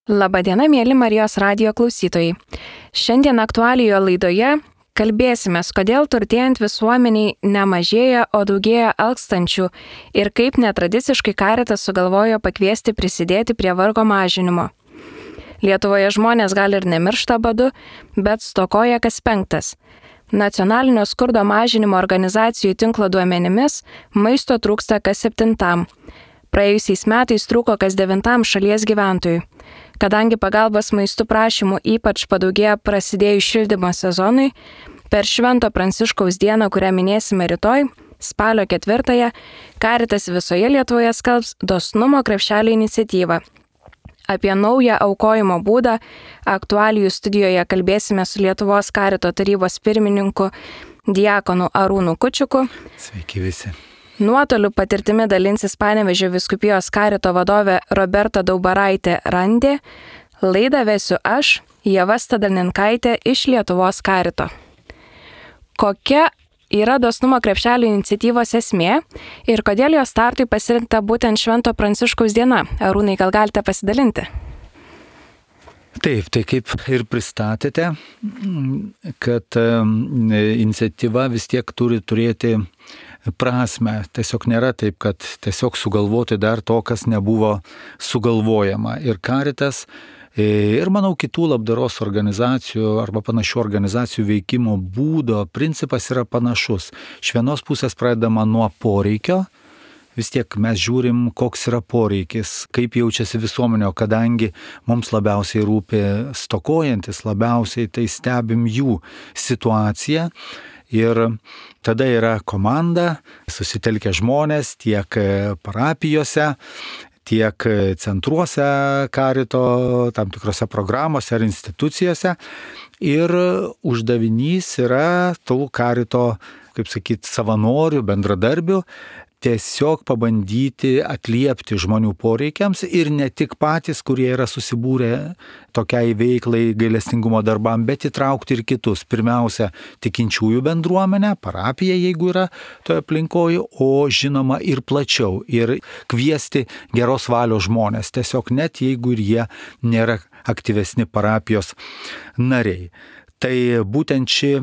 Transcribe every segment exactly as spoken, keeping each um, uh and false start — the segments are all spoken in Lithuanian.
Labadiena, mėly Marijos radijo klausytojai. Šiandien aktualijoje laidoje kalbėsime, kodėl turtėjant visuomeniai nemažėja, o daugėja alkstančių ir kaip netradiciškai Caritas sugalvojo pakviesti prisidėti prie vargo mažinimo. Lietuvoje žmonės gal ir nemiršta badu, bet stokoja kas penktas. Nacionalinio skurdo mažinimo organizacijų tinklo duomenimis maisto trūksta kas septintam. Praėjusiais metais trūko kas devintam šalies gyventojui. Kadangi pagalbos maistų prašymų ypač padaugėjo prasidėjus šildymo sezonui, per Švento Pranciškaus dieną, kurią minėsime rytoj, spalio ketvirtąją, Caritas visoje Lietuvoje skelbs dosnumo krepšelio iniciatyvą. Apie naują aukojimo būdą aktualijų studijoje kalbėsime su Lietuvos Carito tarybos pirmininku diakonu Arūnu Kučiuku. Sveiki visi. Nuotoliu patirtimi dalinsis Panevėžio vyskupijos Carito vadovė Roberta Daubaraitė Randė. Laidą vesiu aš, Ieva Stadalinkaitė iš Lietuvos Carito. Kokia yra dosnumo krepšelio iniciatyvos esmė ir kodėl jos startui pasirinkta būtent Švento Pranciškaus diena? Arūnai, gal galite pasidalinti? Taip, tai kaip ir pristatėte, kad iniciatyva vis tiek turi turėti prasme. Tiesiog nėra taip, kad tiesiog sugalvoti dar to, kas nebuvo sugalvojama. Ir Caritas, ir manau kitų labdaros organizacijų arba panašių organizacijų veikimo būdo principas yra panašus. Iš vienos pusės pradedama nuo poreikio. Vis tiek mes žiūrim, koks yra poreikis, kaip jaučiasi visuomenė, kadangi mums labiausiai rūpi stokojantis, labiausiai tai stebim jų situaciją. Ir tada yra komanda, susitelkę žmonės tiek parapijose, tiek centruose Carito, tam tikrose programose ar institucijose. Ir uždavinys yra tų Carito, kaip sakyti, savanorių, bendradarbių, tiesiog pabandyti atliepti žmonių poreikiams ir ne tik patys, kurie yra susibūrę tokiai veiklai gailestingumo darbam, bet įtraukti ir kitus. Pirmiausia, tikinčiųjų bendruomenę, parapiją, jeigu yra toje aplinkoje, o žinoma ir plačiau. Ir kviesti geros valios žmonės, tiesiog net jeigu ir jie nėra aktyvesni parapijos nariai. Tai būtent ši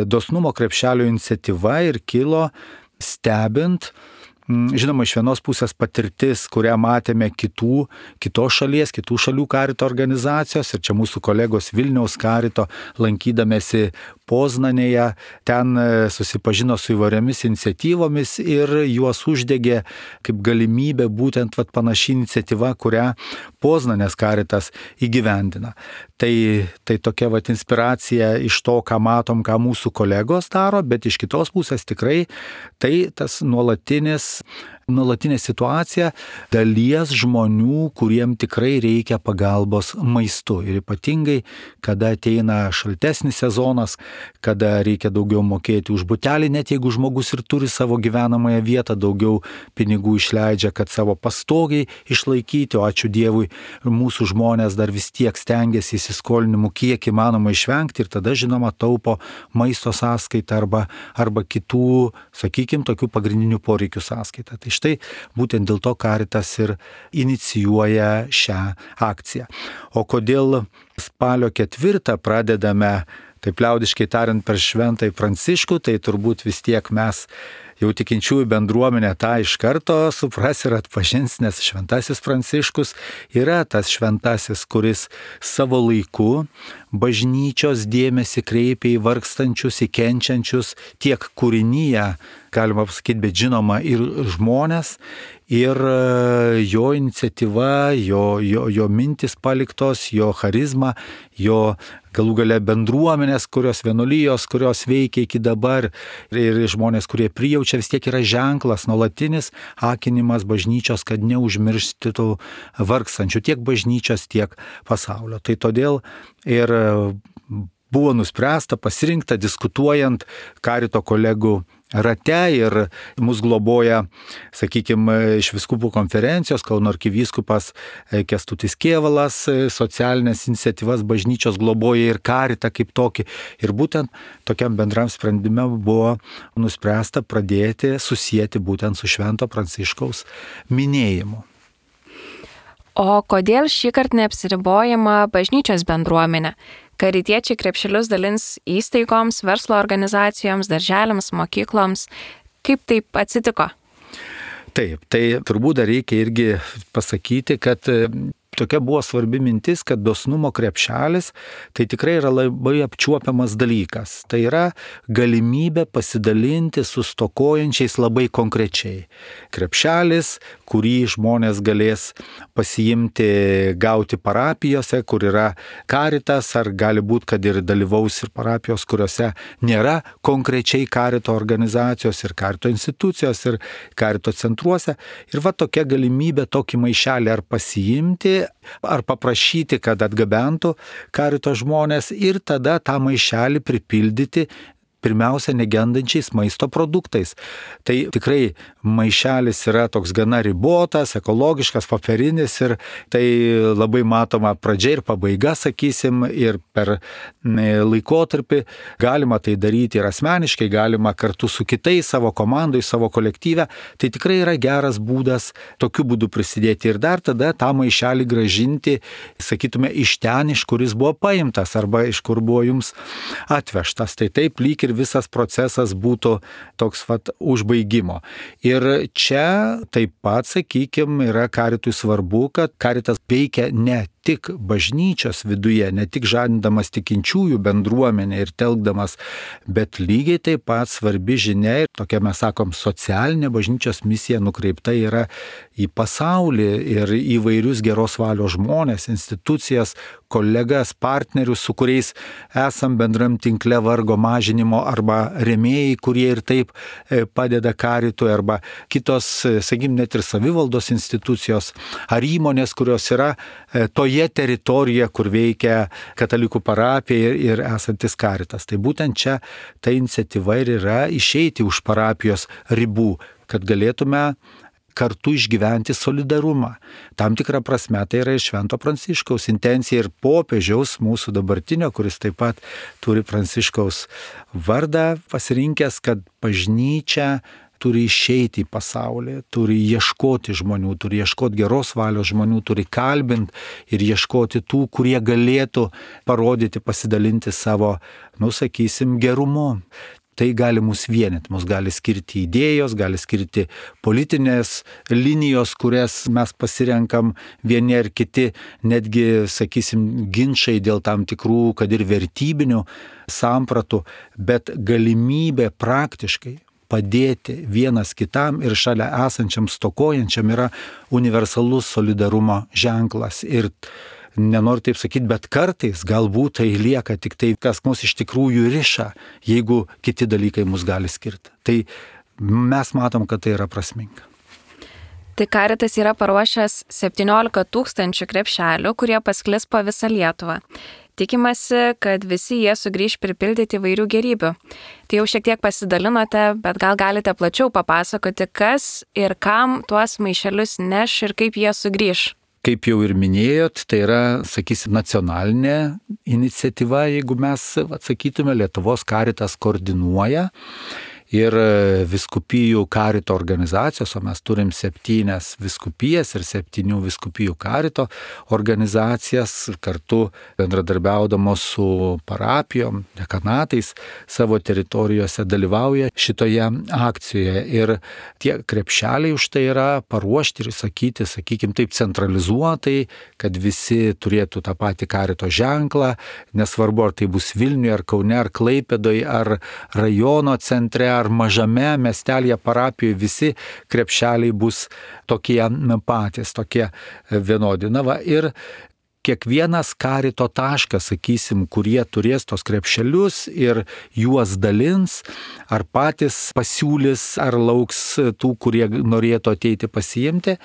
dosnumo krepšelio iniciatyva ir kilo stebint, žinoma, iš vienos pusės patirtis, kurią matėme kitų, kitos šalies, kitų šalių Carito organizacijos, ir čia mūsų kolegos Vilniaus Carito lankydamėsi Poznanėje, ten susipažino su įvairiomis iniciatyvomis ir juos uždegė kaip galimybė būtent vat, panaši iniciatyva, kurią Poznanės Caritas įgyvendina. Tai, tai tokia vat, inspiracija iš to, ką matom, ką mūsų kolegos daro, bet iš kitos pusės tikrai tai tas nuolatinis nuolatinė situacija dalies žmonių, kuriem tikrai reikia pagalbos maistu. Ir ypatingai, kada ateina šaltesnis sezonas, kada reikia daugiau mokėti už butelį, net jeigu žmogus ir turi savo gyvenamąją vietą, daugiau pinigų išleidžia, kad savo pastogiai išlaikyti, o ačiū Dievui, mūsų žmonės dar vis tiek stengiasi įsiskolinimų kiek įmanoma išvengti ir tada, žinoma, taupo maisto sąskaitą arba, arba kitų, sakykime, tokių pagrindinių poreikių sąskaitą. Tai štai būtent dėl to Caritas ir inicijuoja šią akciją. O kodėl spalio ketvirtą pradedame, taip liaudiškai tariant, per Šventąjį Pranciškų, tai turbūt vis tiek mes jau tikinčiųjų bendruomenė tą iš karto supras ir atpažins, nes Šventasis Pranciškus yra tas šventasis, kuris savo laiku bažnyčios dėmesį kreipia į vargstančius, į kenčiančius, tiek kūrinyje, galima pasakyti, bet žinoma ir žmonės, ir jo iniciatyva, jo, jo, jo mintis paliktos, jo charizma, jo galų gale bendruomenės, kurios vienuolijos, kurios veikia iki dabar, ir žmonės, kurie prijaučia, vis tiek yra ženklas, nuolatinis akinimas bažnyčios, kad neužmirštytų vargstančių tiek bažnyčios, tiek pasaulio. Tai todėl ir buvo nuspręsta, pasirinkta, diskutuojant Carito kolegų rate ir mus globoja, sakykime, iš vyskupų konferencijos, Kauno arkivyskupas Kęstutis Kėvalas, socialinės iniciatyvas bažnyčios globoja ir Caritą kaip tokį. Ir būtent tokiam bendram sprendime buvo nuspręsta pradėti susijęti būtent su Švento Pranciškaus minėjimu. O kodėl šį kartą neapsiribojama bažnyčios bendruomenė? Karitiečiai krepšelius dalins įstaigoms, verslo organizacijoms, darželiams, mokykloms. Kaip taip atsitiko? Taip, tai turbūt dar reikia irgi pasakyti, kad tokia buvo svarbi mintis, kad dosnumo krepšelis tai tikrai yra labai apčiuopiamas dalykas. Tai yra galimybė pasidalinti su stokojančiais labai konkrečiai. Krepšelis, kurį žmonės galės pasiimti, gauti parapijose, kur yra karitas, ar gali būti, kad ir dalyvaus ir parapijos, kuriuose nėra konkrečiai karito organizacijos ir karito institucijos ir karito centruose. Ir va tokia galimybė tokį maišelį ar pasiimti, ar paprašyti, kad atgabentų karito žmonės ir tada tą maišelį pripildyti pirmiausia negendančiais maisto produktais. Tai tikrai maišelis yra toks gana ribotas, ekologiškas, popierinis ir tai labai matoma pradžia ir pabaiga, sakysim, ir per laikotarpį galima tai daryti ir asmeniškai, galima kartu su kitais savo komandai, savo kolektyve. Tai tikrai yra geras būdas tokiu būdu prisidėti ir dar tada tą maišelį gražinti, sakytume, iš ten, iš kuris buvo paimtas arba iš kur buvo jums atvežtas. Tai taip lyg ir visas procesas būtų toks vat užbaigimo. Ir čia taip pat, sakykime, yra karitui svarbu, kad karitas veikia ne tik bažnyčios viduje, ne tik žadindamas tikinčiųjų bendruomenę ir telkdamas, bet lygiai taip pat svarbi žinia ir tokia, mes sakom, socialinė bažnyčios misija nukreipta yra į pasaulį ir įvairius geros valios žmonės, institucijas, kolegas, partnerius, su kuriais esam bendram tinkle vargo mažinimo arba rėmėjai, kurie ir taip padeda karitui, arba kitos, sakykim, net ir savivaldos institucijos ar įmonės, kurios yra toje teritorijoje, kur veikia katalikų parapija ir, ir esantis karitas. Tai būtent čia ta iniciatyva ir yra išeiti už parapijos ribų, kad galėtume kartu išgyventi solidarumą. Tam tikrą prasme tai yra Švento Pranciškaus intencija ir popiežiaus mūsų dabartinio, kuris taip pat turi Pranciškaus vardą pasirinkęs, kad bažnyčia turi išeiti į pasaulį, turi ieškoti žmonių, turi ieškoti geros valios žmonių, turi kalbinti ir ieškoti tų, kurie galėtų parodyti, pasidalinti savo, nu sakysim, gerumu. Tai gali mus vienyti, mus gali skirti idėjos, gali skirti politinės linijos, kurias mes pasirenkam vieni ar kiti, netgi, sakysim, ginčai dėl tam tikrų, kad ir vertybinių sampratų, bet galimybė praktiškai padėti vienas kitam ir šalia esančiam stokojančiam yra universalus solidarumo ženklas. Ir nenoriu taip sakyti, bet kartais galbūt tai lieka tik tai, kas mus iš tikrųjų riša, jeigu kiti dalykai mus gali skirti. Tai mes matom, kad tai yra prasminga. Tai karitas yra paruošęs septyniolika tūkstančių krepšelių, kurie pasklis po visą Lietuvą. Tikimasi, kad visi jie sugrįž pripildyti įvairių gerybių. Tai jau šiek tiek pasidalinote, bet gal galite plačiau papasakoti, kas ir kam tuos maišelius neš ir kaip jie sugrįž. Kaip jau ir minėjot, tai yra, sakysim, nacionalinė iniciatyva, jeigu mes atsakytume, Lietuvos karitas koordinuoja ir viskupijų karito organizacijos, o mes turim septynias viskupijas ir septynių viskupijų karito organizacijas, kartu bendradarbiaudamos su parapijom, dekanatais savo teritorijose dalyvauja šitoje akcijoje. Ir tie krepšeliai už tai yra paruošti ir sakyti, sakykim, taip centralizuotai, kad visi turėtų tą patį karito ženklą, nesvarbu, ar tai bus Vilniuje, ar Kaune, ar Klaipėdoje, ar rajono centre, ar mažame miestelėje parapijoje, visi krepšeliai bus tokie patys, tokie vienodi. Na va, ir kiekvienas karito taškas, sakysim, kurie turės tos krepšelius ir juos dalins, ar patys pasiūlys, ar lauks tų, kurie norėtų ateiti pasiimti,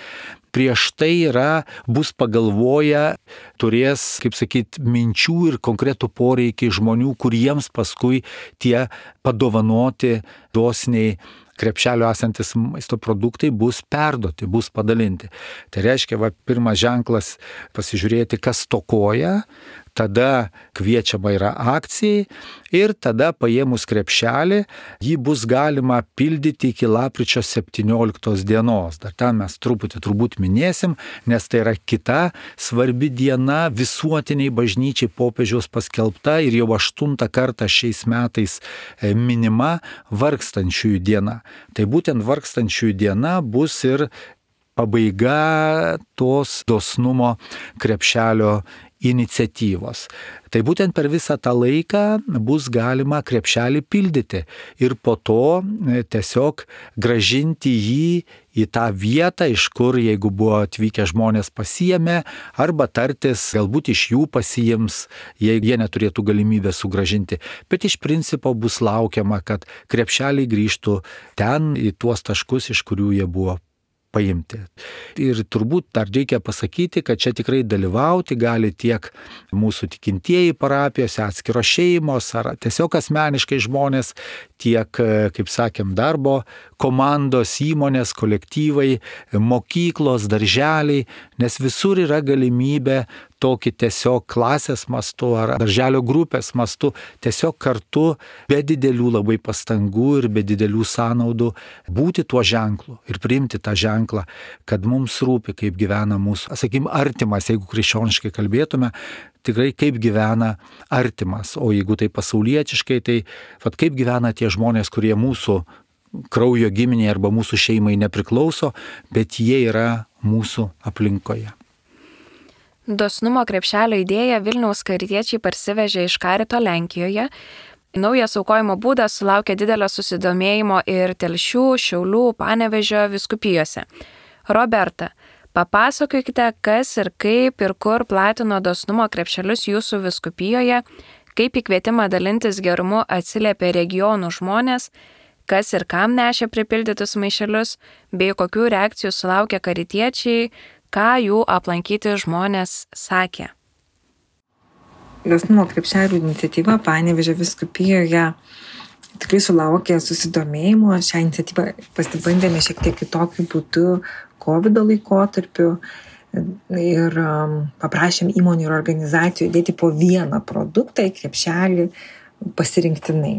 prieš tai yra, bus pagalvoję, turės, kaip sakyti, minčių ir konkretų poreikį žmonių, kuriems paskui tie padovanoti dosniai krepšelio esantis maisto produktai bus perduoti, bus padalinti. Tai reiškia, va, pirmas ženklas pasižiūrėti, kas stokoja, tada kviečiama yra akcijai ir tada paėmus krepšelį, jį bus galima pildyti iki lapkričio septynioliktos dienos. Dar ten mes truputį turbūt minėsim, nes tai yra kita svarbi diena visuotiniai bažnyčiai popiežiaus paskelbta ir jau aštuntą kartą šiais metais minima vargstančiųjų diena. Tai būtent vargstančiųjų diena bus ir pabaiga tos dosnumo krepšelio iniciatyvos. Tai būtent per visą tą laiką bus galima krepšelį pildyti ir po to tiesiog gražinti jį į tą vietą, iš kur, jeigu buvo atvykę žmonės pasiėmė, arba tartis, galbūt iš jų pasiims, jeigu jie neturėtų galimybę sugražinti. Bet iš principo bus laukiama, kad krepšeliai grįžtų ten į tuos taškus, iš kurių jie buvo paimti. Ir turbūt dar reikia pasakyti, kad čia tikrai dalyvauti gali tiek mūsų tikintieji parapijose, atskiros šeimos ar tiesiog asmeniškai žmonės, tiek, kaip sakėm, darbo komandos, įmonės, kolektyvai, mokyklos, darželiai, nes visur yra galimybė tokį tiesiog klasės mastu ar darželio grupės mastu tiesiog kartu be didelių labai pastangų ir be didelių sąnaudų būti tuo ženklu ir priimti tą ženklą, kad mums rūpi, kaip gyvena mūsų, sakykim, artimas, jeigu krikščioniškai kalbėtume, tikrai kaip gyvena artimas, o jeigu tai pasaulietiškai, tai vat, kaip gyvena tie žmonės, kurie mūsų kraujo giminiai arba mūsų šeimai nepriklauso, bet jie yra mūsų aplinkoje. Dosnumo krepšelio idėją Vilniaus karitiečiai parsivežė iš Karito Lenkijoje. Naujas aukojimo būdas sulaukė didelio susidomėjimo ir Telšių, Šiaulių, Panevėžio vyskupijose. Roberta, papasakokite, kas ir kaip ir kur platino dosnumo krepšelius jūsų vyskupijoje, kaip į kvietimą dalintis gerumu atsiliepė regionų žmonės, kas ir kam nešė pripildytus maišelius, bei kokių reakcijų sulaukė karitiečiai, ką jų aplankyti žmonės sakė. Dosnumo krepšelių iniciatyva Panevėžio vyskupijoje tikrai sulaukė susidomėjimo. Šią iniciatyvą pasibandėme šiek tiek kitokiu būdu kovido laikotarpiu ir paprašėm įmonių ir organizacijų dėti po vieną produktą į krepšelį pasirinktinai.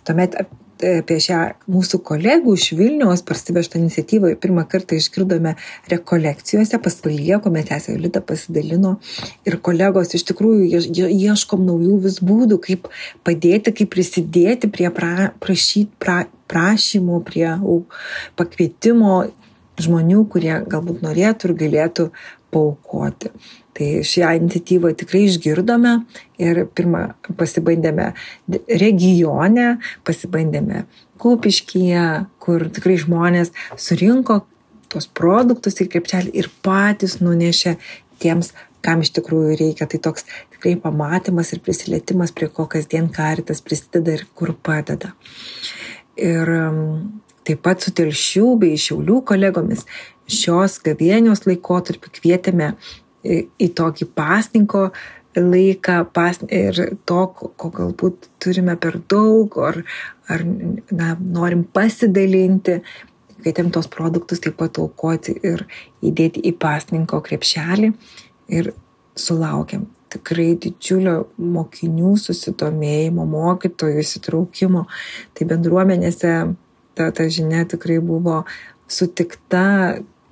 Tuomet apie šią mūsų kolegų iš Vilniaus parsivežtą iniciatyvą pirmą kartą išgirdome rekolekcijose pas Valiją, kuomet sesė Jolita pasidalino ir kolegos iš tikrųjų ieškom naujų vis būdų, kaip padėti, kaip prisidėti prie pra, prašyt, pra, prašymų, prie pakvietimo žmonių, kurie galbūt norėtų ir galėtų paaukoti. Tai šią iniciatyvą tikrai išgirdome ir pirmą pasibandėme regione, pasibandėme Kupiškyje, kur tikrai žmonės surinko tos produktus į krepšelį ir patys nunešė tiems, kam iš tikrųjų reikia. Tai toks tikrai pamatymas ir prisilietimas, prie ko kasdien Karitas prisideda ir kur padeda. Ir taip pat su Telšių bei Šiaulių kolegomis šios gavėnios laikotarpį kvietėme į tokį pasninko laiką pas, ir to, ko galbūt turime per daug, ar, ar na, norim pasidalinti, kvietėm tos produktus taip pat aukoti ir įdėti į pasninko krepšelį ir sulaukėm tikrai didžiulio mokinių susidomėjimo, mokytojų įsitraukimo. Tai bendruomenėse ta, ta žinia tikrai buvo sutikta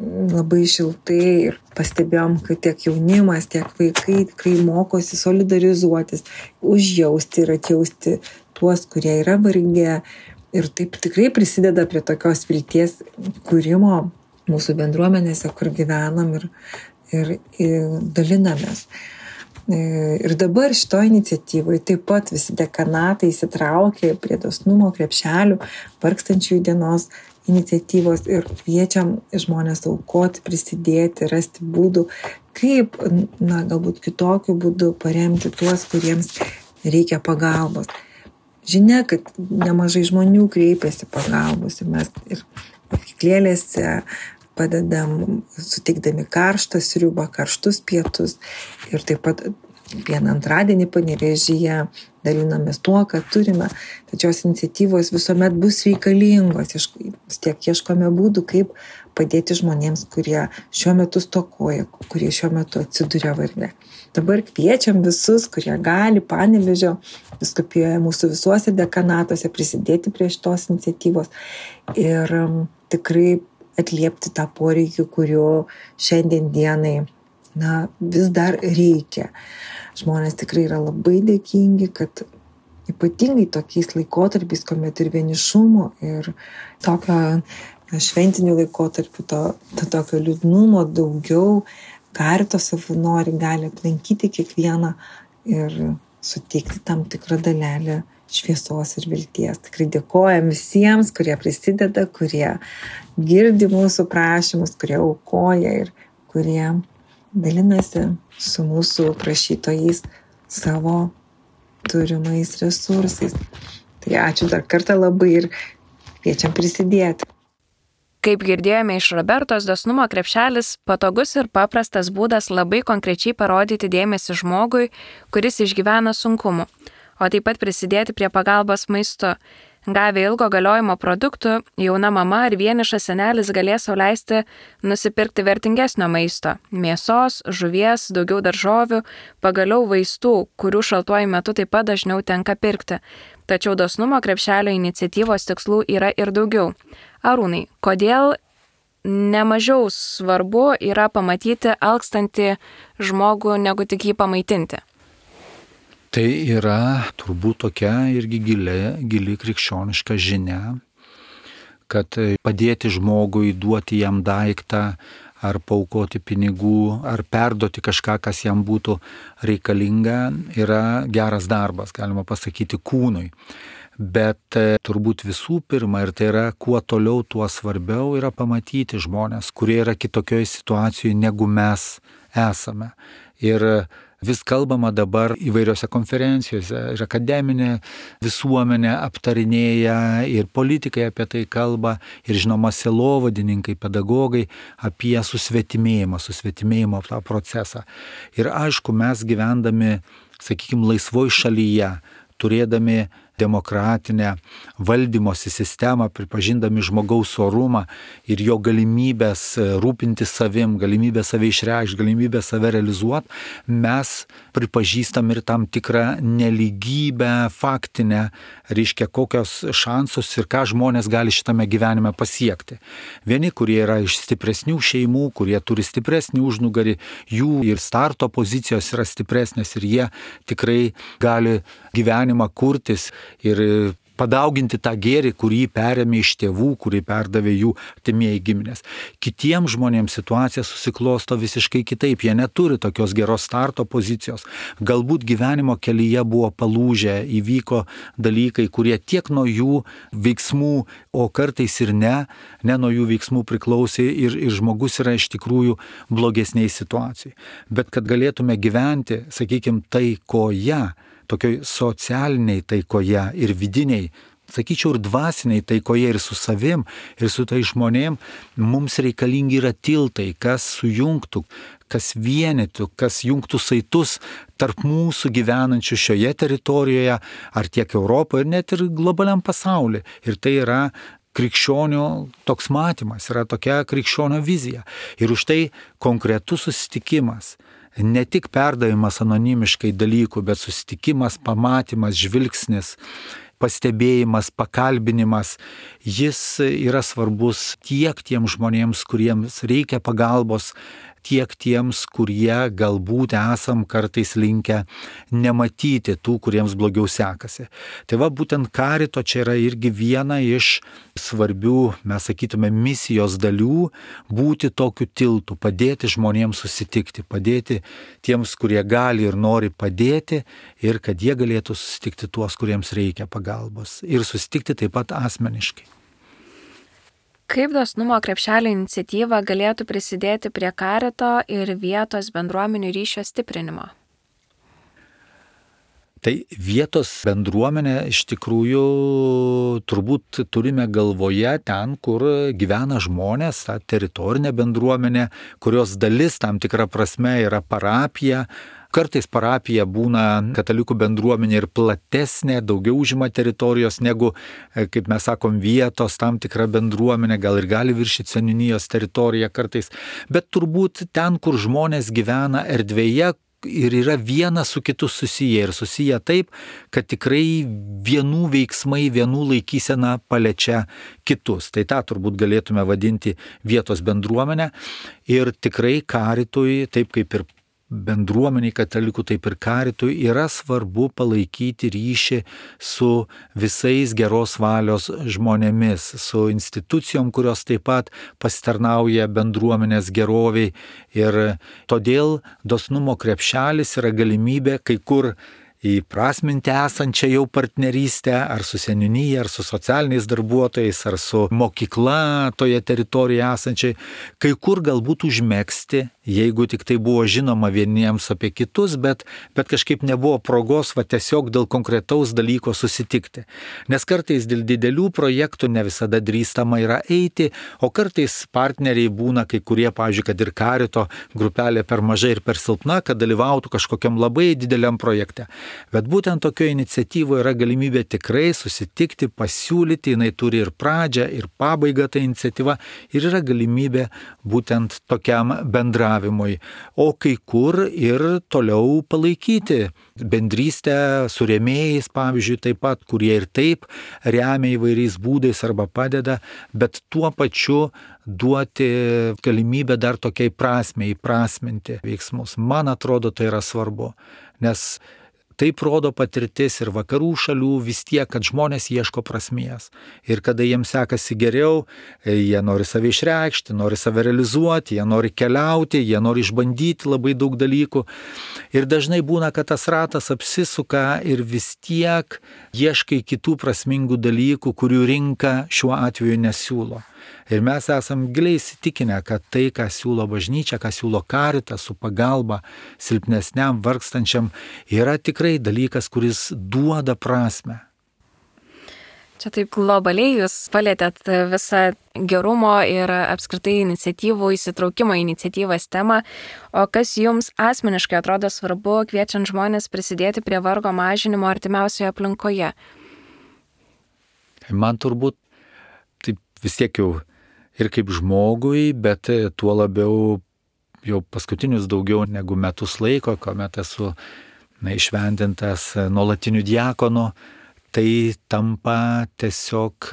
labai šiltai ir pastebėjom, kad tiek jaunimas, tiek vaikai tikrai mokosi solidarizuotis, užjausti ir atjausti tuos, kurie yra vargę ir taip tikrai prisideda prie tokios vilties kūrimo mūsų bendruomenėse, kur gyvenam ir, ir, ir dalinamės. Ir dabar šito iniciatyvai taip pat visi dekanatai įsitraukė prie dosnumo krepšelių vargstančiųjų dienos iniciatyvos ir kviečiam žmonės aukoti, prisidėti, rasti būdų, kaip, na, galbūt kitokiu būdu paremti tuos, kuriems reikia pagalbos. Žinia, kad nemažai žmonių kreipiasi pagalbos ir mes ir mokyklėlėse padedam, suteikdami karštą sriubą, karštus pietus ir taip pat vieną antradienį Panevėžyje dalinamės tuo, ką turime. Tačios iniciatyvos visuomet bus reikalingos. Vis tiek ieškome būdų, kaip padėti žmonėms, kurie šiuo metu stokoja, kurie šiuo metu atsiduria varge. Dabar kviečiam visus, kurie gali Panevėžio vyskupijoje mūsų visuose dekanatuose prisidėti prie šitos iniciatyvos ir um, tikrai atliepti tą poreikį, kurio šiandien dienai na, vis dar reikia. Žmonės tikrai yra labai dėkingi, kad ypatingai tokiais laikotarpiais, kuomet ir vienišumo, ir tokio šventinių laikotarpių, to, to tokio liūdnumo daugiau, Karito savanoriai gali aplankyti kiekvieną ir suteikti tam tikrą dalelę šviesos ir vilties. Tikrai dėkojam visiems, kurie prisideda, kurie girdi mūsų prašymus, kurie aukoja ir kurie dalinasi su mūsų prašytojais savo turimais resursais. Tai ačiū dar kartą labai ir kviečiam prisidėti. Kaip girdėjome iš Robertos, dosnumo krepšelis patogus ir paprastas būdas labai konkrečiai parodyti dėmesį žmogui, kuris išgyvena sunkumų, o taip pat prisidėti prie pagalbos maistu. Gavę ilgo galiojimo produktų, jauna mama ar vienišas senelis galės sau leisti nusipirkti vertingesnio maisto – mėsos, žuvies, daugiau daržovių, pagaliau vaistų, kurių šaltuoju metu taip pat dažniau tenka pirkti. Tačiau dosnumo krepšelio iniciatyvos tikslų yra ir daugiau. Arūnai, kodėl nemažiau svarbu yra pamatyti alkstantį žmogų, negu tik jį pamaitinti? Tai yra turbūt tokia irgi gili, gili krikščioniška žinia, kad padėti žmogui, duoti jam daiktą, ar paaukoti pinigų, ar perduoti kažką, kas jam būtų reikalinga, yra geras darbas, galima pasakyti, kūnui. Bet turbūt visų pirma, ir tai yra kuo toliau, tuo svarbiau yra pamatyti žmonės, kurie yra kitokioje situacijoje, negu mes esame. Ir vis kalbama dabar įvairiose konferencijose, ir akademinė visuomenė aptarinėja, ir politikai apie tai kalba, ir žinoma sielovadininkai, pedagogai apie susvetimėjimą, susvetimėjimo tą procesą. Ir aišku, mes gyvendami, sakykime, laisvoj šalyje, turėdami demokratinę valdymosi sistemą, pripažindami žmogaus orumą ir jo galimybės rūpinti savim, galimybę save išreikšti, galimybę save realizuoti, mes pripažįstam ir tam tikrą nelygybę faktinę, reiškia kokios šansus ir ką žmonės gali šitame gyvenime pasiekti. Vieni, kurie yra iš stipresnių šeimų, kurie turi stipresnį užnugarį, jų ir starto pozicijos yra stipresnės ir jie tikrai gali gyvenimą kurtis ir padauginti tą gėrį, kurį perėmė iš tėvų, kurį perdavė jų artimieji giminės. Kitiems žmonėms situacija susiklosto visiškai kitaip, jie neturi tokios geros starto pozicijos. Galbūt gyvenimo kelyje buvo palūžę, įvyko dalykai, kurie tiek nuo jų veiksmų, o kartais ir ne, ne nuo jų veiksmų priklausė ir, ir žmogus yra iš tikrųjų blogesniai situacijai. Bet kad galėtume gyventi, sakykime, taikoje, tokioj socialiniai taikoje ir vidiniai, sakyčiau, ir dvasiniai taikoje ir su savim, ir su tai žmonėm, mums reikalingi yra tiltai, kas sujungtų, kas vienytų, kas jungtų saitus tarp mūsų gyvenančių šioje teritorijoje, ar tiek Europoje, ir net ir globaliam pasaulyje. Ir tai yra krikščionio toks matymas, yra tokia krikščionio vizija. Ir už tai konkretus susitikimas, ne tik perdavimas anonimiškai dalykų, bet susitikimas, pamatymas, žvilgsnis, pastebėjimas, pakalbinimas, jis yra svarbus tiek tiems žmonėms, kuriems reikia pagalbos, tiek tiems, kurie galbūt esam kartais linkę nematyti tų, kuriems blogiau sekasi. Tai va, būtent Karito čia yra irgi viena iš svarbių, mes sakytume, misijos dalių, būti tokiu tiltu, padėti žmonėms susitikti, padėti tiems, kurie gali ir nori padėti, ir kad jie galėtų susitikti tuos, kuriems reikia pagalbos, ir susitikti taip pat asmeniškai. Kaip dosnumo krepšelio iniciatyva galėtų prisidėti prie Karito ir vietos bendruomenių ryšio stiprinimo? Tai vietos bendruomenė iš tikrųjų turbūt turime galvoje ten, kur gyvena žmonės, ta teritorinė bendruomenė, kurios dalis tam tikra prasme yra parapija, Kartais parapija būna katalikų bendruomenė ir platesnė, daugiau užima teritorijos negu, kaip mes sakom, vietos tam tikra bendruomenė, gal ir gali viršyti seniūnijos teritoriją kartais, bet turbūt ten, kur žmonės gyvena erdvėje, ir yra vienas su kitu susiję ir susiję taip, kad tikrai vienų veiksmai, vienų laikysena paliečia kitus. Tai tą turbūt galėtume vadinti vietos bendruomenę ir tikrai karitui, taip kaip ir bendruomeniai katalikų, taip ir karitui yra svarbu palaikyti ryšį su visais geros valios žmonėmis, su institucijom, kurios taip pat pasitarnauja bendruomenės geroviai ir todėl dosnumo krepšelis yra galimybė kai kur įprasminti esančią jau partnerystę, ar su seniūnyje, ar su socialiniais darbuotojais, ar su mokykla toje teritorijoje esančiai, kai kur galbūt užmegzti, jeigu tik tai buvo žinoma vieniems apie kitus, bet, bet kažkaip nebuvo progos va tiesiog dėl konkretaus dalyko susitikti. Nes kartais dėl didelių projektų ne visada drįstama yra eiti, o kartais partneriai būna kai kurie, pavyzdžiui, kad ir karito grupelė per mažai ir per silpna, kad dalyvautų kažkokiam labai dideliam projekte. Bet būtent tokio iniciatyvo yra galimybė tikrai susitikti, pasiūlyti, jinai turi ir pradžią, ir pabaigą ta iniciatyva ir yra galimybė būtent tokiam bendravimui. O kai kur ir toliau palaikyti bendrystę su rėmėjais, pavyzdžiui, taip pat, kurie ir taip remia įvairiais būdais arba padeda, bet tuo pačiu duoti galimybę dar tokiai prasmei įprasminti veiksmus. Man atrodo, tai yra svarbu, nes taip rodo patirtis ir vakarų šalių vis tiek, kad žmonės ieško prasmės. Ir kada jiems sekasi geriau, jie nori save išreikšti, nori save realizuoti, jie nori keliauti, jie nori išbandyti labai daug dalykų. Ir dažnai būna, kad tas ratas apsisuka ir vis tiek ieškai kitų prasmingų dalykų, kurių rinka šiuo atveju nesiūlo. Ir mes esam giliai įsitikinę, kad tai, ką siūlo bažnyčia, ką siūlo karitas su pagalba silpnesniam, vargstančiam, yra tikrai dalykas, kuris duoda prasmę. Čia taip globaliai jūs palėtėt visą gerumo ir apskritai iniciatyvų, įsitraukimo iniciatyvas temą, o kas jums asmeniškai atrodo svarbu, kviečiant žmonės prisidėti prie vargo mažinimo artimiausioje aplinkoje? Man turbūt taip vis tiek jau ir kaip žmogui, bet tuo labiau jau paskutinius daugiau negu metus laiko, kuomet esu na, išventintas nuolatiniu diakonu, tai tampa tiesiog,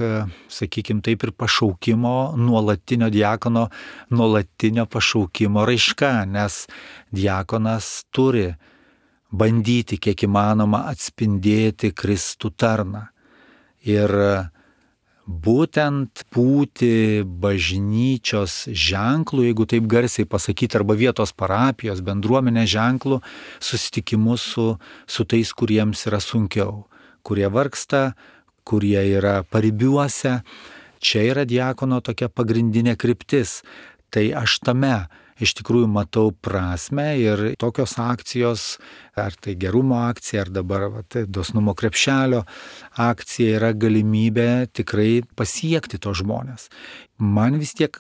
sakykime, taip ir pašaukimo, nuolatinio diakono, nuolatinio pašaukimo raiška, nes diakonas turi bandyti kiek įmanoma atspindėti Kristų tarną. Ir būtent būti bažnyčios ženklų, jeigu taip garsiai pasakyti, arba vietos parapijos, bendruomenės ženklų, susitikimus su, su tais, kuriems yra sunkiau, kurie vargsta, kurie yra paribiuose. Čia yra diakono tokia pagrindinė kryptis. Tai aš tame iš tikrųjų matau prasmę ir tokios akcijos, ar tai gerumo akcija, ar dabar va, tai dosnumo krepšelio akcija yra galimybė tikrai pasiekti to žmonės. Man vis tiek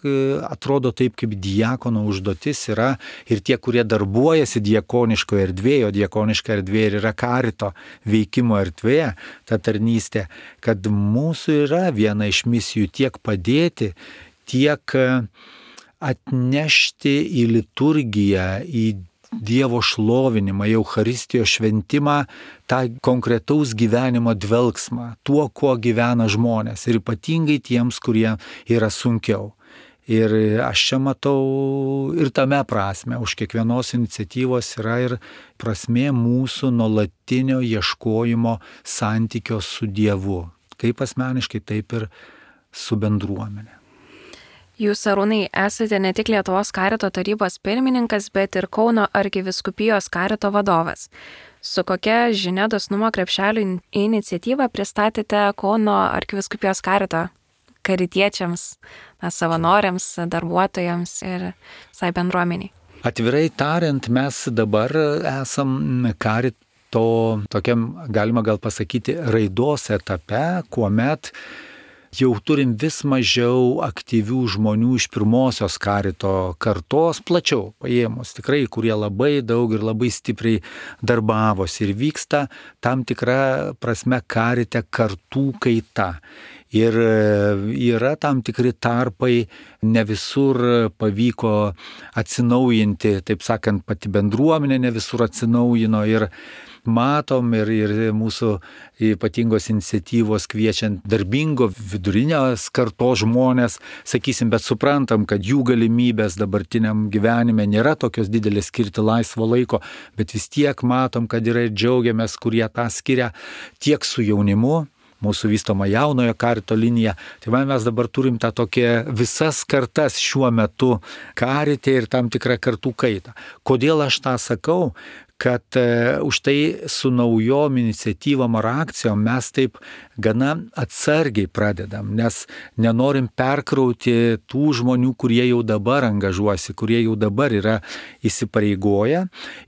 atrodo taip, kaip diakono užduotis yra ir tie, kurie darbuojasi diakoniškoje erdvėje, o diakoniška erdvė yra karito veikimo erdvėje, ta tarnystė, kad mūsų yra viena iš misijų tiek padėti, tiek atnešti į liturgiją, į Dievo šlovinimą, į Eucharistijos šventimą, tą konkretaus gyvenimo dvelgsmą, tuo, kuo gyvena žmonės ir ypatingai tiems, kurie yra sunkiau. Ir aš čia matau ir tame prasme, už kiekvienos iniciatyvos yra ir prasmė mūsų nuolatinio ieškojimo santykio su Dievu, kaip asmeniškai, taip ir su bendruomenė. Jūs, Arūnai, esate ne tik Lietuvos karito tarybos pirmininkas, bet ir Kauno arkivyskupijos karito vadovas. Su kokia žinia dosnumo krepšelio iniciatyvą pristatėte Kauno arkivyskupijos karito karitiečiams, na, savanoriams, darbuotojams ir visai bendruomeniai? Atvirai tariant, mes dabar esam karito tokiam, galima gal pasakyti, raidos etape, kuomet jau turim vis mažiau aktyvių žmonių iš pirmosios karito kartos, plačiau paėmus, tikrai, kurie labai daug ir labai stipriai darbavosi ir vyksta tam tikra prasme karite kartų kaita. Ir yra tam tikri tarpai, ne visur pavyko atsinaujinti, taip sakant, pati bendruomenė ne visur atsinaujino ir matom ir, ir mūsų ypatingos iniciatyvos kviečiant darbingo vidurinės kartos žmonės, sakysim, bet suprantam, kad jų galimybės dabartiniam gyvenime nėra tokios didelės skirti laisvo laiko, bet vis tiek matom, kad yra ir džiaugiamės, kurie tą skiria tiek su jaunimu, mūsų vystoma jaunojo karito linija. Tai man mes dabar turim tą tokią visas kartas šiuo metu karite ir tam tikrą kartų kaitą. Kodėl aš tą sakau? Kad uh, už tai su naujom iniciatyvom ar akcijom mes taip gana atsargiai pradedam, nes nenorim perkrauti tų žmonių, kurie jau dabar angažuosi, kurie jau dabar yra įsipareigoję.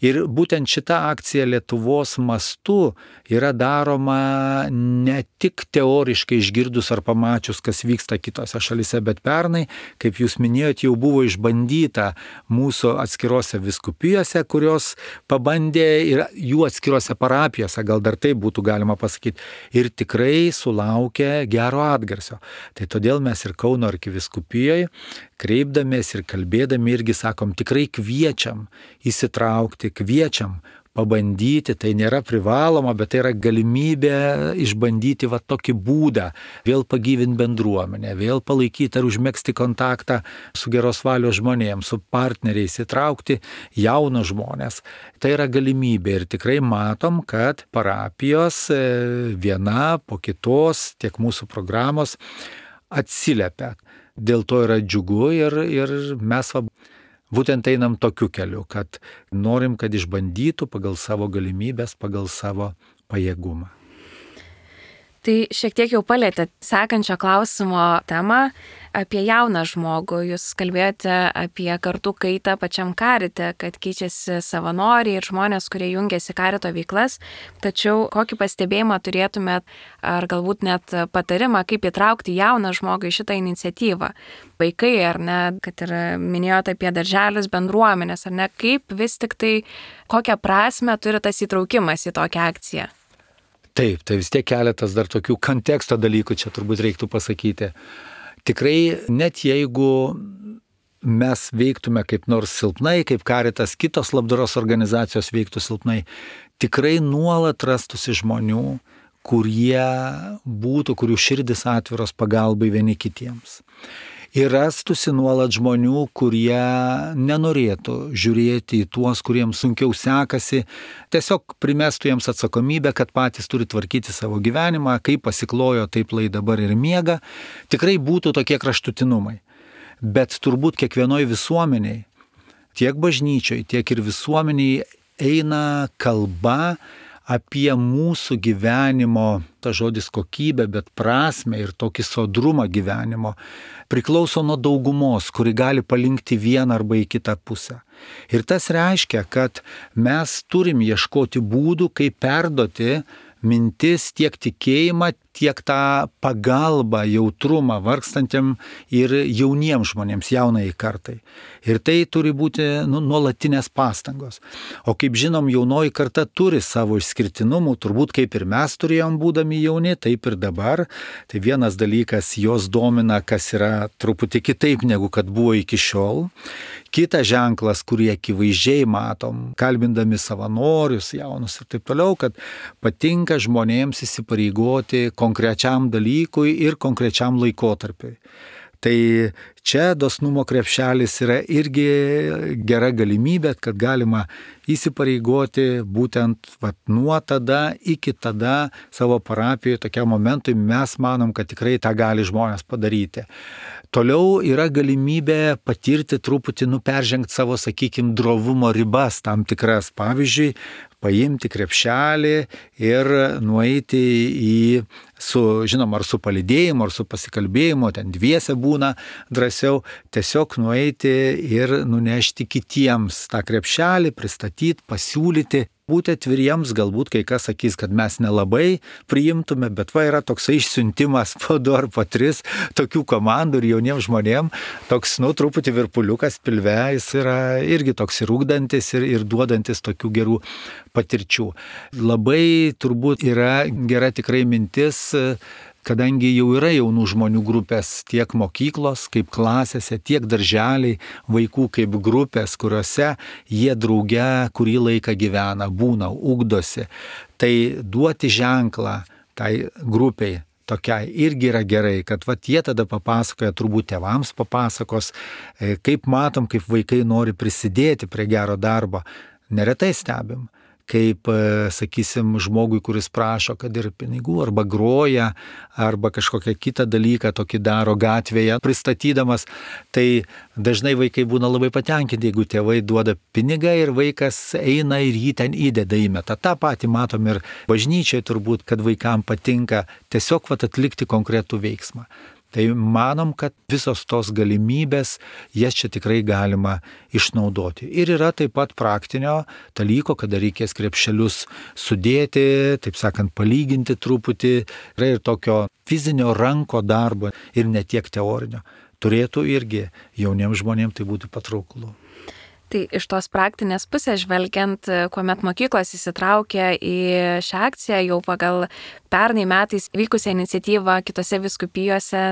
Ir būtent šita akcija Lietuvos mastu yra daroma ne tik teoriškai išgirdus ar pamačius, kas vyksta kitose šalise, bet pernai, kaip jūs minėjot, jau buvo išbandyta mūsų atskirose vyskupijose, kurios pabandė ir jų atskirose parapijose, gal dar taip būtų galima pasakyti, ir tikrai sulaukė gero atgarsio. Tai todėl mes ir Kauno arkivyskupijoje, kreipdamės ir kalbėdami irgi sakom, tikrai kviečiam įsitraukti, kviečiam pabandyti, tai nėra privaloma, bet tai yra galimybė išbandyti va tokį būdą, vėl pagyvinti bendruomenę, vėl palaikyti ar užmegzti kontaktą su geros valios žmonėms, su partneriais, įtraukti jaunus žmonės. Tai yra galimybė ir tikrai matom, kad parapijos viena po kitos, tiek mūsų programos atsiliepia. Dėl to yra džiugu ir, ir mes va, būtent einam tokiu keliu, kad norim, kad išbandytų pagal savo galimybės, pagal savo pajėgumą. Tai šiek tiek jau palėtė sekančio klausimo temą apie jauną žmogų. Jūs kalbėjote apie kartų kaitą pačiam karite, kad keičiasi savanoriai ir žmonės, kurie jungiasi karito veiklas. Tačiau kokį pastebėjimą turėtumėt, ar galbūt net patarimą, kaip įtraukti jauną žmogų į šitą iniciatyvą? Vaikai, ar ne, kad ir minėjote apie darželius, bendruomenės, ar ne, kaip vis tik tai, kokią prasmę turi tas įtraukimas į tokią akciją? Taip, tai vis tiek keletas dar tokių konteksto dalykų čia turbūt reiktų pasakyti. Tikrai net jeigu mes veiktume kaip nors silpnai, kaip Karitas, kitos labdaros organizacijos veiktų silpnai, tikrai nuolat rastųsi žmonių, kurie būtų, kurių širdis atviros pagalbai vieni kitiems. Ir rastųsi nuolat žmonių, kurie nenorėtų žiūrėti į tuos, kuriems sunkiau sekasi, tiesiog primestų jiems atsakomybę, kad patys turi tvarkyti savo gyvenimą, kaip pasiklojo, taip lai dabar ir miega. Tikrai būtų tokie kraštutinumai. Bet turbūt kiekvienoj visuomeniai, tiek bažnyčioj, tiek ir visuomeniai eina kalba apie mūsų gyvenimo, ta žodis kokybė, bet prasme ir tokį sodrumą gyvenimo, priklauso nuo daugumos, kuri gali palinkti vieną arba į kitą pusę. Ir tas reiškia, kad mes turim ieškoti būdų, kaip perduoti mintis, tiek tikėjimą, tiek tą pagalbą, jautrumą vargstantiem ir jauniems žmonėms, jaunai kartai. Ir tai turi būti nu, nuolatinės pastangos. O kaip žinom, jaunoji karta turi savo išskirtinumų, turbūt kaip ir mes turėjom būdami jauni, taip ir dabar. Tai vienas dalykas, jos domina, kas yra truputį kitaip negu kad buvo iki šiol. Kitas ženklas, kurį akivaizdžiai matom, kalbindami savanorius, jaunus ir taip toliau, kad patinka žmonėms įsipareigoti konkrečiam dalykui ir konkrečiam laikotarpiui. Tai čia dosnumo krepšelis yra irgi gera galimybė, kad galima įsipareigoti būtent vat, nuo tada iki tada savo parapijoje tokiam momentui mes manom, kad tikrai tą gali žmonės padaryti. Toliau yra galimybė patirti truputį, nu, peržengti savo, sakykime, drovumo ribas tam tikras. Pavyzdžiui, paimti krepšelį ir nueiti į, su, žinoma, ar su palydėjimu, ar su pasikalbėjimu, ten dviese būna drąsiau, tiesiog nueiti ir nunešti kitiems tą krepšelį, pristatyti, pasiūlyti. būti atviriems, galbūt kai kas sakys, kad mes nelabai priimtume, bet va yra toksai išsiuntimas po du ar po tris tokių komandų ir jauniems žmonėms, toks, nu, truputį virpuliukas pilve, jis yra irgi toks ir ugdantis ir, ir duodantis tokių gerų patirčių. Labai turbūt yra gera tikrai mintis, kadangi jau yra jaunų žmonių grupės tiek mokyklos, kaip klasėse, tiek darželiai, vaikų kaip grupės, kuriuose jie drauge kurį laiką gyvena, būna, ugdosi. Tai duoti ženklą tai grupiai tokiai irgi yra gerai, kad vat jie tada papasakoja, turbūt tėvams papasakos, kaip matom, kaip vaikai nori prisidėti prie gero darbo. Neretai stebim, kaip, sakysim, žmogui, kuris prašo, kad ir pinigų, arba groja, arba kažkokią kitą dalyką tokį daro gatvėje pristatydamas, tai dažnai vaikai būna labai patenkinti, jeigu tėvai duoda pinigą ir vaikas eina ir jį ten įdeda įmeta. Ta patį matom ir bažnyčiai turbūt, kad vaikam patinka tiesiog vat atlikti konkretų veiksmą. Tai manom, kad visos tos galimybės, jas čia tikrai galima išnaudoti. Ir yra taip pat praktinio dalyko, kada reikės krepšelius sudėti, taip sakant, palyginti truputį. Yra ir tokio fizinio ranko darbo ir ne tiek teorinio. Turėtų irgi jauniems žmonėms tai būtų patrauklu. Tai iš tos praktinės pusės žvelgiant, kuomet mokyklos įsitraukė į šią akciją, jau pagal pernai metais vykusią iniciatyvą kitose vyskupijose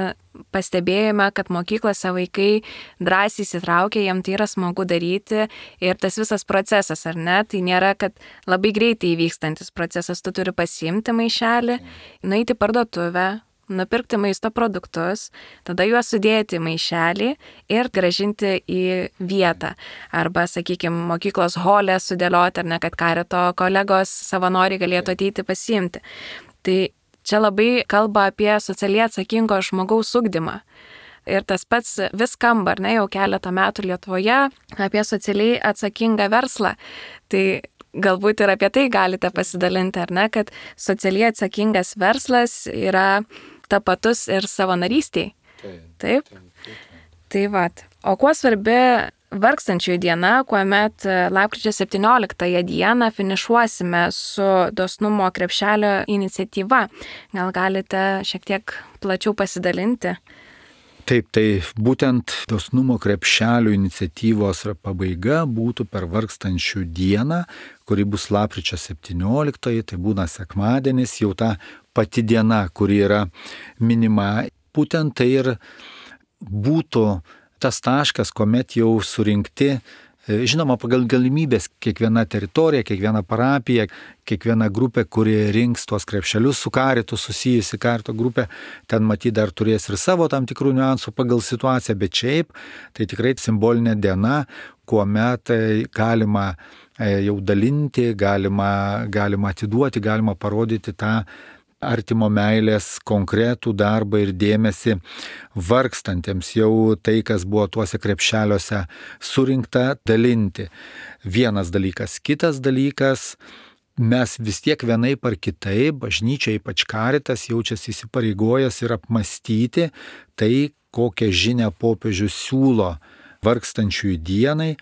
pastebėjome, kad mokyklose vaikai drąsiai įsitraukė, jiem tai yra smagu daryti ir tas visas procesas, ar ne, tai nėra, kad labai greitai įvykstantis procesas, tu turi pasiimti maišelį, nueiti į parduotuvę, nupirkti maisto produktus, tada juos sudėti į maišelį ir grąžinti į vietą. Arba, sakykime, mokyklos holę sudėlioti, ar ne, kad karito kolegos savanoriai galėtų ateiti pasiimti. Tai čia labai kalba apie socialiai atsakingo žmogaus ugdymą. Ir tas pats vis skamba, ar ne, jau keletą metų Lietuvoje apie socialiai atsakingą verslą. Tai galbūt ir apie tai galite pasidalinti, ar ne, kad socialiai atsakingas verslas yra tapatus ir savanarystiai. Taip. Taip? Taip, taip. Tai vat. O kuo svarbi vargstančiųjų diena, kuomet lapkričio septynioliktąją dieną finišuosime su dosnumo krepšelio iniciatyva? Gal galite šiek tiek plačiau pasidalinti? Taip, tai būtent dosnumo krepšelio iniciatyvos pabaiga būtų per vargstančių dieną, kuri bus lapkričio septynioliktoji, tai būna sekmadienis, jau ta pati diena, kuri yra minima. Būtent tai ir būtų tas taškas, kuomet jau surinkti, žinoma, pagal galimybės kiekviena teritorija, kiekviena parapija, kiekviena grupė, kuri rinks tuos krepšelius su karitu, susijusi karito grupė, ten matyt dar turės ir savo tam tikrų niuansų pagal situaciją, bet šiaip tai tikrai simbolinė diena, kuomet galima jau dalinti, galima, galima atiduoti, galima parodyti tą artimo meilės konkretų darbą ir dėmesį vargstantiems, jau tai, kas buvo tuose krepšeliuose surinkta, dalinti. Vienas dalykas. Kitas dalykas, mes vis tiek vienaip ar kitaip, bažnyčia, ypač karitas, jaučiasi įsipareigojęs ir apmastyti tai, kokią žinią popiežius siūlo vargstančiųjų dienai.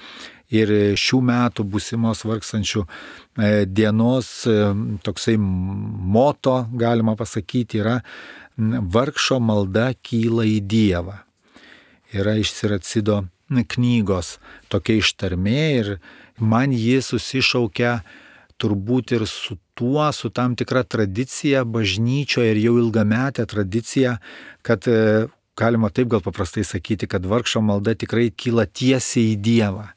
Ir šių metų būsimos vargstančių dienos toksai moto, galima pasakyti, yra vargšo malda kyla į Dievą. Yra iš Siracido knygos tokia ištarmė ir man ji susišaukia turbūt ir su tuo, su tam tikra tradicija bažnyčioje ir jau ilgametė tradicija, kad galima taip gal paprastai sakyti, kad vargšo malda tikrai kyla tiesiai į Dievą.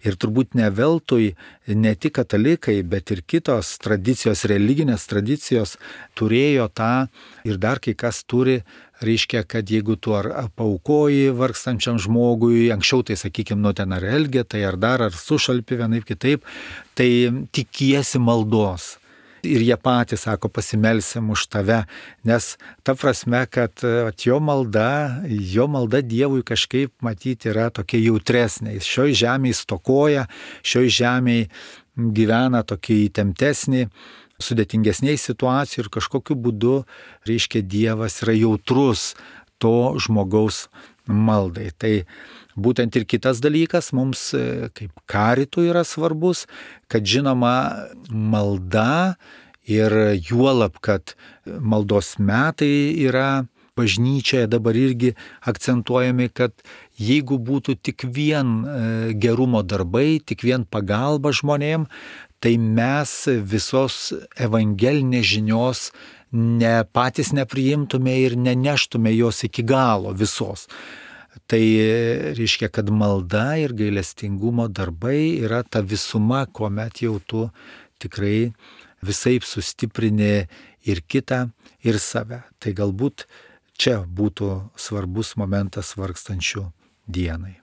Ir turbūt ne veltui ne tik katalikai, bet ir kitos tradicijos, religinės tradicijos turėjo tą ir dar kai kas turi, reiškia, kad jeigu tu ar paaukoji vargstančiam žmogui, anksčiau tai sakykime, nu ten ar elgetai, ar dar, ar sušalpi vienaip kitaip, tai tikiesi maldos. Ir jie patys sako, pasimelsim už tave, nes ta prasme, kad jo malda, jo malda Dievui kažkaip matyti yra tokia jautresnė. Jis šioj žemėje stokoja, šioj žemėje gyvena tokia įtemptesnė, sudėtingesnėj situacijų ir kažkokiu būdu, reiškia, Dievas yra jautrus to žmogaus maldai. Tai būtent ir kitas dalykas mums kaip karitų yra svarbus, kad žinoma malda ir juolab, kad maldos metai yra bažnyčioje dabar irgi akcentuojami, kad jeigu būtų tik vien gerumo darbai, tik vien pagalba žmonėm, tai mes visos evangelinės žinios ne patys nepriimtume ir neneštume jos iki galo visos. Tai reiškia, kad malda ir gailestingumo darbai yra ta visuma, kuomet jau tu tikrai visaip sustiprini ir kitą, ir save. Tai galbūt čia būtų svarbus momentas vargstančių dienai.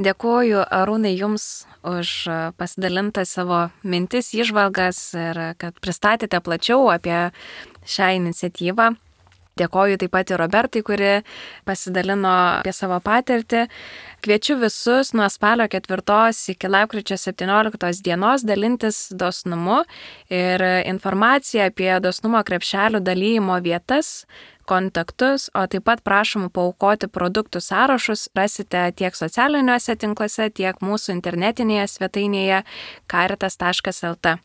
Dėkuoju, Arūnai, Jums už pasidalintą savo mintis, įžvalgas ir kad pristatėte plačiau apie šią iniciatyvą. Dėkoju taip pat ir Robertai, kuri pasidalino apie savo patirtį. Kviečiu visus nuo spalio ketvirtos iki lapkričio septynioliktos dienos dalintis dosnumu ir informaciją apie dosnumo krepšelių dalyjimo vietas, kontaktus, o taip pat prašom paaukoti produktų sąrašus rasite tiek socialiniuose tinkluose, tiek mūsų internetinėje svetainėje caritas taškas el t.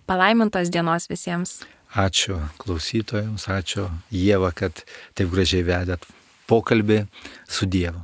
Palaimintos dienos visiems. Ačiū klausytojams, ačiū Ieva, kad taip gražiai vedėt pokalbį su Dievu.